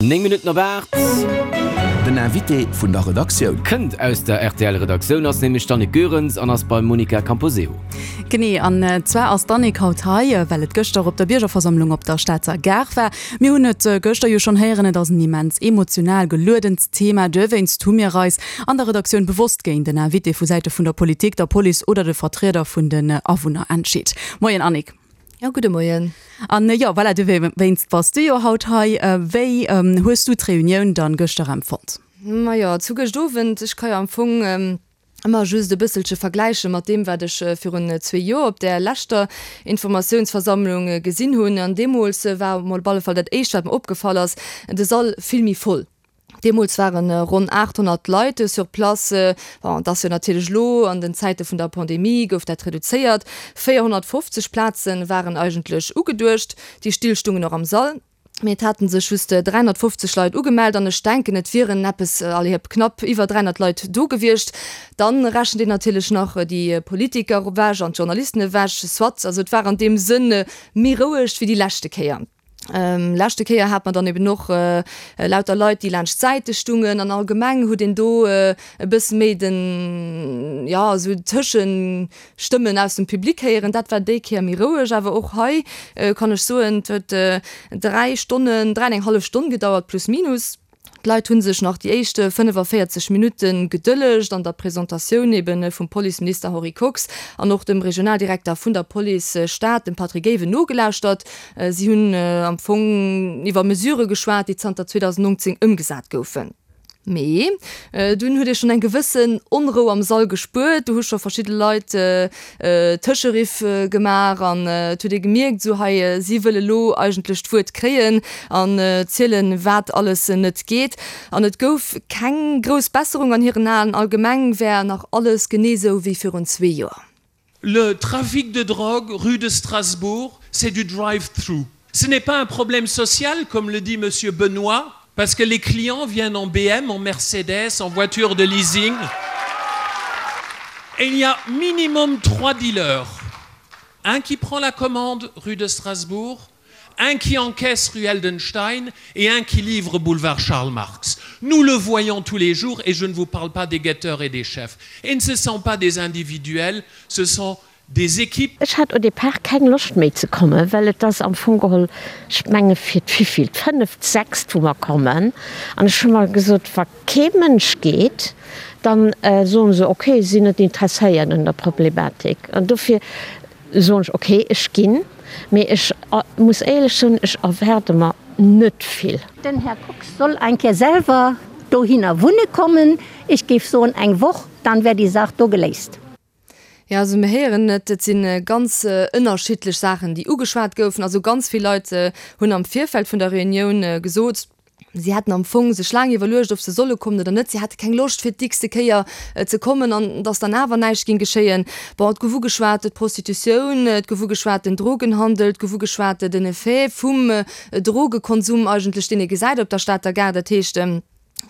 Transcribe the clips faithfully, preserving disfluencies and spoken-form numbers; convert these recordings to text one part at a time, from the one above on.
Néng Minutten op aacht. Den Invité vun der Redaktioun. Kënnt aus der R T L-Redaktioun, ass nämlech d'Annick Goerens an ass beim Monica Camposeo. Genee, an zwar ass d'Annick haut hei, well et gëschter op der Biergerversammlung op der Stater Gare war. Mir hunn et gëschter jo schonn héieren, et ass en immens emotional geluedent Thema. Dowéinst hu mir eis an der Redaktioun bewosst géint den Invité vu Säite vun der Politik, der Police oder de Vertrieder vun den Awunner entscheet. Moien, Annick. Ja, gudde Moien. An jo, voilà, dowéinst bass du jo haut hei. Wéi hues du d'Reunioun dann gëschter empfonnt? Ma jo, zu gëscht Owend, ech ka jo am Fong ëmmer just e bësselche vergläiche mat deem, wat ech virun zwee Joer op där leschter Informatiounsversammlung gesinn hunn. An deemools war mol op alle Fall dat Éischt, wat mer opgefall ass, de Sall vill méi voll. Deemools waren ronn achthonnert Leit sur place. Bon, et ass jo natierlech elo an den Zäite vun der Pandemie gouf dat reduzéiert. véierhonnertfofzeg Plaze waren eigentlech ugeduecht, déi Still stungen och am Sall. Mee et hate sech just dräihonnertfofzeg Leit ugemellt an ech denken, et wieren eppes, allez hop, knapp iwwer dräihonnert Leit do gewiescht. Dann rechent een natierlech nach déi Politiker ewech an d'Journalisten ewech. Soit, also et war an deem Sënn méi roueg wéi déi leschte Kéier. Leschte Kéier hat mer dann eben och lauter Leit, déi laanscht d'Säite stungen an allgemeng huet een do e bësse méi den, jo, esou Tëschestëmmen aus dem Public héieren. Dat war déi Kéier méi roueg. Awer och hei kann ech soen, et huet dräi Stonnen, dräi an eng hallef Stonn gedauert, plus minus. D'Leit hu sech nach déi éischt fënnefavéierzeg Minutte gedëllegt an der Presentatioun eben vum Policeminister Henri Kox an och dem Regionaldirekter vun der Police Stad, dem Patrick Ewen, nogelauschtert. Si hunn am Fong iwwer Mesurë geschwat, déi zanter zweedausendnongzéng ëmgesat goufen. Mee dunn huet ee schonn eng gewëssen Onrou am Sall gespuert. Do hu scho verschidde Leit Tëscheriff gemaach an et huet ee gemierkt, esou hei, si wëlle lo eigentlech d'Wuert kréien an zielen, wat alles net geet. An et gouf keng grouss Besserung an hiren Aen. Allgemeng wär nach alles genee esou wéi virun zwee Joer. Le trafic de drogue rue de Strasbourg, c'est du drive-through. Ce n'est pas un problème social, comme le dit monsieur Benoît, parce que les clients viennent en B M, en Mercedes, en voiture de leasing. Et il y a minimum trois dealers. Un qui prend la commande rue de Strasbourg, un qui encaisse rue Heldenstein et un qui livre boulevard Charles Marx. Nous le voyons tous les jours et je ne vous parle pas des guetteurs et des chefs. Et ce ne sont pas des individuels, ce sont des équipes. Ech hat au départ keng Loscht méi ze kommen, well et ass am Fong geholl, ech menge fir d'wéivill, d'fënneft, sechst, wou mer kommen. An ech hu mer gesot, wa kee Mënsch geet, dann soen se, okay, si sinn net interesséiert un der Problematik. An dofir soen ech, okay, ech ginn, mee ech muss éierlech soen, ech erwaarde mer net vill. Den Här Kox soll eng Kéier selwer dohinner wunne kommen. Ech géif soen eng Woch, dann wär déi Saach do geléist. Jo, also mir héieren et, et si ganz ënnerschiddlech Saachen, déi ugeschwat goufen. Also ganz vill Leit hunn am Virfeld vun der Reunioun gesot, si hätten am Fong sech laang iwwerluecht, ob se solle kommen oder net. Si hätte keng Loscht fir d'x-te Kéier ze kommen an datt dann awer näischt géing geschéien. Bon, et gouf ugeschwat d'Prostitutioun, et gouf ugeschwat den Drogenhandel, et gouf ugeschwat den Effet vum Drogekonsum eigentlech, deen ee gesäit op der Stater Gare. Dat heescht,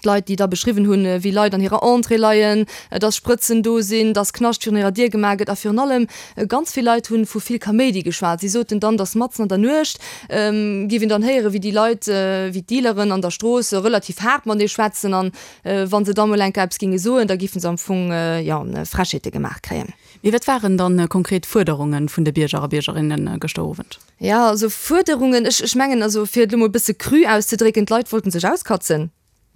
d'Leit, déi da beschriwwen hunn, wéi Leit an hirer Entrée leien, dass Sprëtzen do sinn, dass Knascht virun hirer Dier gemaach gëtt. A virun allem, ganz vill Leit hu vu vill Kaméidi geschwat. Si soten dann, dass matzen an der Nuecht géif een dann héieren, wéi déi Leit, wéi d'Dealeren an der Strooss relativ haart matenee schwätzen. An wa se da mol eng Kéier eppes géinge soen, da géife se am Fong, jo, Frechheete gemaach kréien. Mee wat waren dann konkret Fuerderunge vun de Bierger a Biergerinne gëschter Owend? Jo, also Fuerderungen, ech, ech mengen, also fir et elo mol e bësse cru auszedrécken, d'Leit wollten sech auskatzen.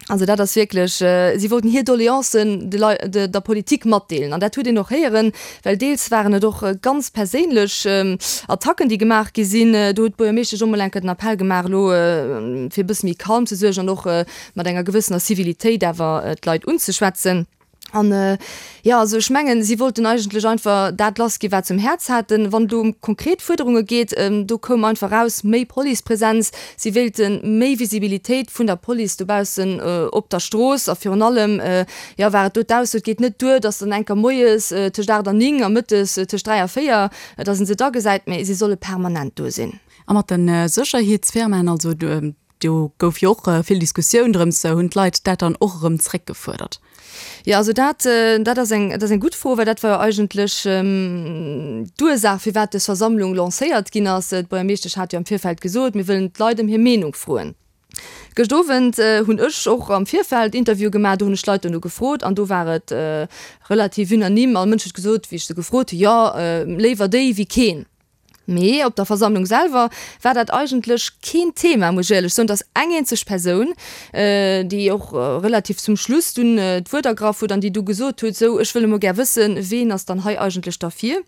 Also dat ass wierklech, si wollten hir Doleancen de Lei, de, der Politik matdeelen. An dat huet een och héieren, well deels waren et och ganz perséinlech Attacken, déi gemaach gi sinn. Do huet d'Buergermeeschtesch och mol eng Kéier den Appell gemaach, elo fir e bësse méi calm ze suergen an och mat enger gewëssener Civilitéit awer d'Leit unzeschwätzen. An jo, also ech mengen, si wollten eigentlech einfach dat lassgi wat se um Häerz haten. Wann et elo ëm konkret Fuerderunge geet, do koum einfach eraus, méi Policepresenz. Si wéilte méi Visibilitéit vun der Police dobaussen op der Strooss. A virun allem, jo, war et do d'Ausso, et geet net duer, datt dann eng Kéier moies tëscht aacht an néng a mëttes tëscht dräi a véier, datt een se da gesäit, mee si solle permanent do sinn. A mat de Sécherheetsfirmaen, also do gouf jo och vill Diskussioun drëms, hunn d'Leit dat dann och erëm zréckgefuerdert? Jo, also dat, dat ass eng, dat ass eng gutt Fro, well dat war jo eigentlech d'Ursaach, firwat dës Versammlung lancéiert ginn ass. D'Buergermeeschtesch hat jo am Virfeld gesot, mir wëllen d'Leit ëm hir Meenung froen. Gëscht Owend hunn ech och am Virfeld Interviewe gemaach, do hunn ech d'Leit duerno gefrot an do war et relativ unanime, all Mënsch huet gesot, wéi ech se gefrot hunn, jo, léiwer déi wéi keen. Mee op der Versammlung selwer war dat eigentlech keen Thema, muss ech éierlech soen. Et ass eng eenzeg Persoun, déi och relativ zum Schluss dunn d'Wuert ergraff huet an déi du gesot huet, Sou, ech wëll emol gär wëssen, ween ass dann hei eigentlech derfir?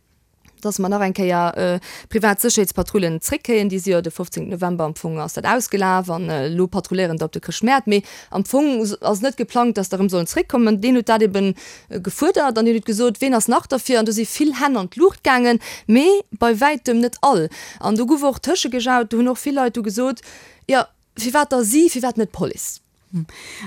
dass mer nach eng Kéier privat Sécherheetspatrullen zréckkréien. Déi si jo de fofzéngten November am Fong ass dat ausgelaf an elo patrulléieren der op de Chrëschtmäert. Mee am Fong ass net geplangt, dass der erëm sollen zréckkommen. Deen huet dat ebe gefuerdert an deen huet gesot, Ween ass nach derfir? An do si vill Hänn an d'Luucht gaangen, mee bei wäitem net all. An do gouf och tëschegejaut, do hunn och vill Leit du gesot, Jo, firwat da si, firwat net d'Police?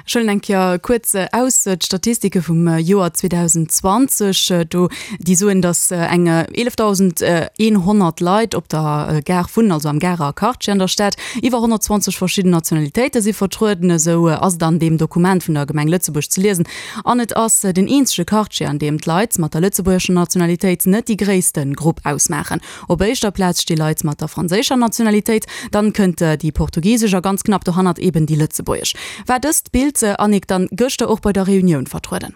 Ech huelen eng Kéier kuerz aus d'Statistike vum Joer zweedausendzwanzeg do, déi soen, datt eng eelefdausendeenhonnert Leit op der Gare wunnen, also am Garer Quartier an der Stad. Iwwer honnertzwanzeg verschidden Nationalitéite si vertrueden, esou ass et an deem Dokument vun der Gemeng Lëtzebuerg ze liesen. An et ass den eenzege Quartier, an deem d'Leit mat der lëtzebuergescher Nationalitéit net déi gréisste Grupp ausmaachen. Op éischter Plaz sti Leit mat der franséischer Nationalitéit, dann kënnt déi portugisesch a ganz knapp dohannert eben déi lëtzebuergesch. War dëst Bild, Annick, dann gëschter och bei der Reunioun vertrueden?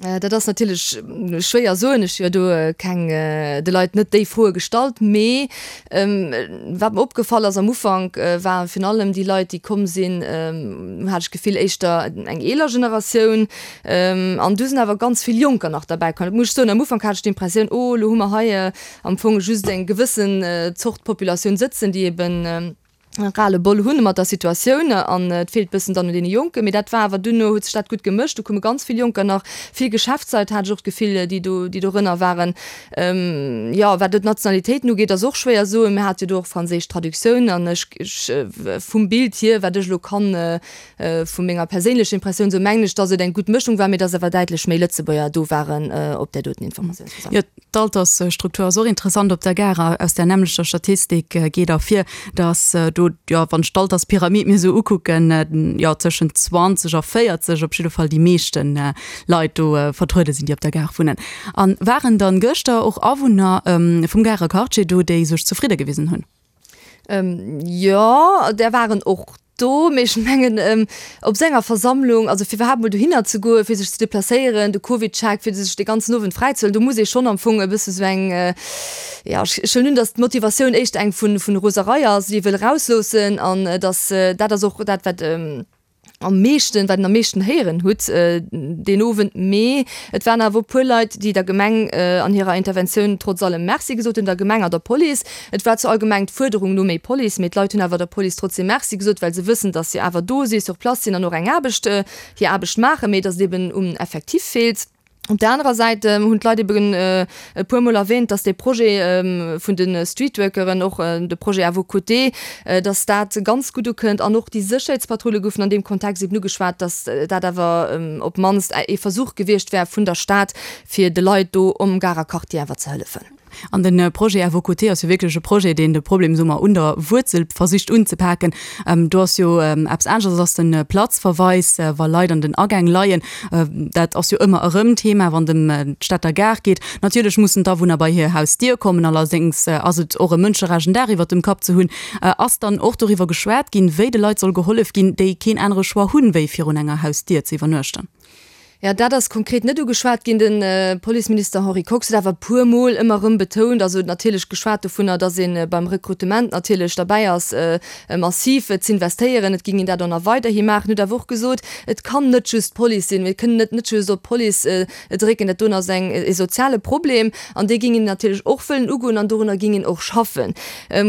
Dat ass natierlech schwéier soen. Ech hu jo do keng, de Leit net déi Froe gestallt. Mee wat mer opgefall ass am Ufank, ware virun allem déi Leit, déi komm sinn, hat ech d'Gefill, éischter eng eeler Generatioun. An du sinn awer ganz vill Jonker nach derbäi komm. Dat muss ech soen. Am Ufank hat ech d'Impressioun, oh, elo hu mer hei am Fong just eng gewëssen Zort Populatioun sëtzen, déi eben Ras-le-bol hunn mat der Situatioun an et feelt bëssen dann un deene Jonken. Mee dat war awer duerno huet sech dat gutt gemëscht. Do koume ganz vill Jonker nach, vill Geschäftsleit hat ech och d'Gefill, déi do, déi dorënner waren. Jo, wat elo d'Nationalitéiten ugeet, ass och schwéier soen. Mir hate jo do och franséisch Traductioun an ech, ech vum Bild hier, wat ech elo kann vu menger perséinlecher Impressioun soen, mengen ech, datt et eng gutt Mëschung war, mee datt awer däitlech méi Lëtzebuerger do waren op där doten Informatiounsversammlung. Jo, d'Altersstruktur ass och interessant op der Gare. Aus där nämmlechter Statistik geet ervir, datt do, jo, wann ech d'Alterspyramid mir esou ukucken, jo, tëschent zwanzeg a véierzeg op jidde Fall déi meeschte Leit do vertruede sinn, déi op der Gare wunnen. A waren dann gëschter och Awunner vum Garer Quartier do, déi sech zefridde gewisen hunn? Jo, där waren och do, mee ech mengen, op esou enger Versammlung, also fir iwwerhaapt mol dohinner ze goen, fir sech ze deplacéieren, de Covidcheck, fir sech dee ganzen Owend fräizehuelen, do muss ee schonn am Fong e bësse sou eng, jo, ech huelen un, datt d'Motivatioun éischter eng vu Roserei ass, déi ee wëll erausloossen an datt dat ass och dat, wat am meeschten, wat een am meeschten héieren hutt deen Owend. Mee et waren awer e puer Leit, déi der Gemeng an hirer Interventioun trotz allem Merci gesot hunn, der Gemeng a der Police. Et war zwar allgemeng d'Fuerderung no méi Police, mee d'Leit hunn awer der Police trotzdeem Merci gesot, well se wëssen, datt se awer do si, sur place sinn an och eng Aarbecht, hir Aarbecht maachen, mee datt et eben um Effectif feelt. Op där anerer Säit hunn d'Leit eben e puer Mol erwähnt, dass dee Projet vun de Streetworkeren, och de Projet à vos côtés, dass dat ganz gutt ukënnt. An och déi Sécherheetspatrulle goufen an deem Kontext eben ugeschwat, dass dat awer op d'mannst ee Versuch gewiescht wär vun der Stad, fir de Leit do um Garer Quartier awer ze hëllefen. An de Projet à vos côtés ass jo wierklech e Projet, deen de Problem, soe mer, un der Wuerzel versicht unzepaken. Do ass jo eppes aneschters ass de Platzverweis, wa Leit an den Agäng leien. Dat ass jo ëmmer erëm Thema, wann et ëm d'Stater Gare geet. Natierlech mussen d'Awunner bei hir Hausdier kommen. Allerdéngs ass et och e Mënscherecht, en Daach iwwert dem Kapp ze hunn. Ass dann och doriwwer geschwat ginn, wéi de Leit soll gehollef ginn, déi keen anere Choix hunn, wéi virun enger Hausdier ze iwwernuechten? Jo, dat ass konkret net ugeschwat ginn. De Policeminister Henri Kox huet awer e puer Mol ëmmer erëm betount, also huet natierlech geschwat dovunner, datt ee beim Rekrutement natierlech derbäi ass, massiv z'investéieren. Et géing een dat och nach weiderhi maachen. Huet awer och gesot, et kann net just d'Police sinn, mir kënnen net net just op d'Police drécken, dat doen ass eng e soziale Problem an dee géing een natierlech och wëllen ugoen an dorunner géing een och schaffen.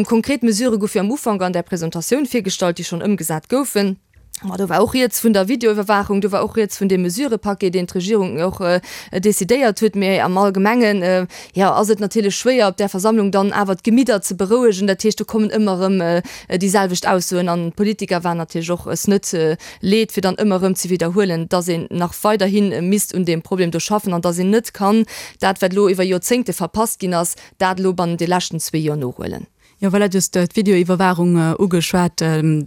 Konkret Mesurë goufe jo am Ufank an där Presentatioun virgestallt, déi schonn ëmgesat goufen. Ma do war och rieds vun der Videoiwwerwaachung, do war och rieds vun deem Mesurëpaquet, deen d'Regierung och decidéiert huet. Mee am Allgemengen, jo, ass et natierlech schwéier, op där Versammlung dann awer d'Gemidder ze berouegen. Dat heescht, do kommen ëmmer erëm déi selwecht Aussoen. An d'Politiker waren natierlech och es net leed, fir dann ëmmer erëm ze widderhuelen, dass een nach weiderhi misst un deem Problem do schaffen an dass een net kann dat, wat elo iwwer Joerzéngte verpasst ginn ass, dat elo bannent de leschten zwee Joer nohuelen. Jo, voilà, du hues d'Videoiwwerwaachung ugeschwat.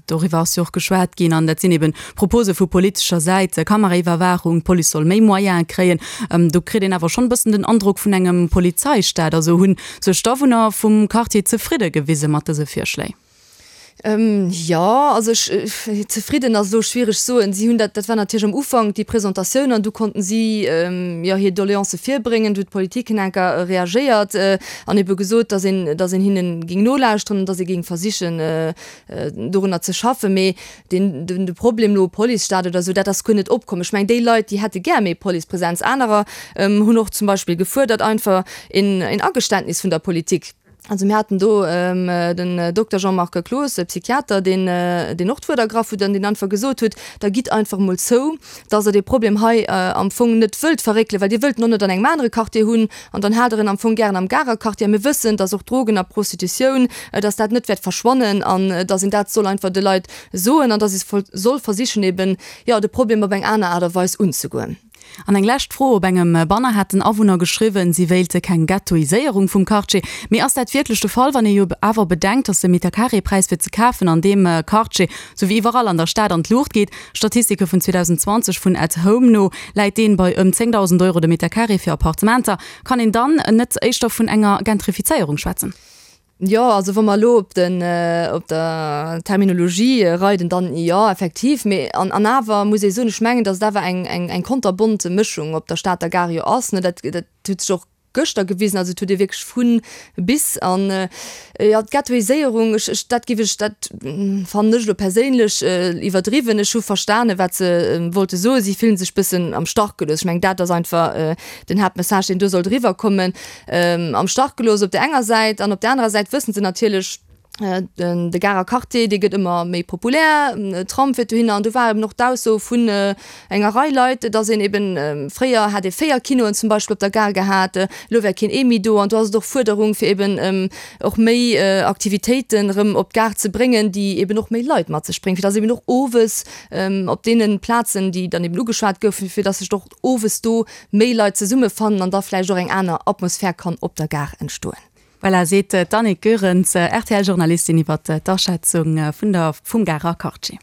Doriwwer ass jo och geschwat ginn. An dat sinn eben Propose vu politescher Säit, Kameraiwwerwaachung, d'Police soll méi Moyene kréien. Do kritt een awer schonn e bëssen den Androck vun engem Polizeistaat. Also hu sech d'Awunner vum Quartier zefridde gewise mat dëse Virschléi? Jo, also ech, zefridden ass elo schwiereg soen. Si hunn dat, dat war natierlech am Ufank déi Presentatioun an du konnten si jo hir Doleancë virbréngen. Du huet d'Politik en enker reagéiert an ebe gesot, datt een, datt een hinne géing nolauschteren an datt ee géing versichen dorunner ze schaffen. Mee deen, den, de Problem elo Policestaat oder esou, dat ass guer net opkomm. Ech mengen déi Leit, déi hätte gär méi Policepresenz. Anerer hunn och zum Beispill gefuerdert einfach een, een Ageständnis vun der Politik. Also mir haten do den Dokter Jean-Marc Cloos, Psychiater, deen deen och d'Wuert ergraff huet an deen einfach gesot huet, Da gitt einfach emol zou, dass Der dee Problem hei am Fong net wëllt verréckelen, well Dir wëllt en och net an engem anere Quartier hunn an dann haalt Der en am Fong gären am Garer Quartier. A mir wëssen, dass och Drogen a Prostitutioun, dass dat net wäert verschwannen an dass een dat soll einfach de Leit soen an dass ee soll versichen eben, jo, de Problem op eng aner Aart a Weis unzegoen. An eng lescht Fro, Op engem Banner hätten Awunner geschriwwen, si wéilte keng Ghettoiséierung vum Quartier. Mee ass dat wierklech de Fall, wann ee jo awer bedenkt, datt de Metercarré-Präis fir ze kafen an deem Quartier, sou wéi iwwerall an der Stad, an d'Luucht geet? Statistike vun zweedausendenzwanzeg vun At Home no läit deen bei ëm zéngdausend Euro de Metercarré fir Appartementer. Kann een dann net éischter vun enger Gentrifizéierung schwätzen? Jo, also wa mer elo op den, op der Terminologie reiden, dann jo, effektiv. Mee an, an awer muss ee soen, ech mengen, datt et awer eng, eng, eng konterbont Mëschung op der Stater Gare jo ass, ne. Dat, dat huet sech och gëschter gewisen. Also et huet ee wierklech vu bis. An, jo, d'Ghettoiséierung, ech, ech, dat géif ech, dat fannen ech elo perséinlech iwwerdriwwen. Ech hu verstane wat se wollte soen. Si fillen sech bëssen am Stach gelooss. Ech mengen, dat ass einfach den Haaptmessage, deen do sollt eriwwerkommen. Am Stach gelooss op där enger Säit an op där anerer Säit wëssen se natierlech, de Garer Quartier, dee gëtt ëmmer méi populär, Tram fiert dohinner an do war eben och d'Ausso vun enger Rei Leit, datt een eben, fréier hätt ee véier Kinoen zum Beispill op der Gare gehat, elo wär keen ee méi do an do ass et och Fuerderung fir eben och méi Aktivitéiten erëm op d'Gare ze bréngen, déi eben och méi Leit mat sech bréngen, fir datt eben och owes op deene Plazen, déi dann eben ugeschwat goufen, fir datt sech och owes do méi Leit zesummefannen an da vläicht och eng aner Atmosphär kann op der Gare entstoen. Voilà, seet d'Annick Goerens, R T L-Journalistin iwwer d'Aschätzung vun der vum Garer Quartier.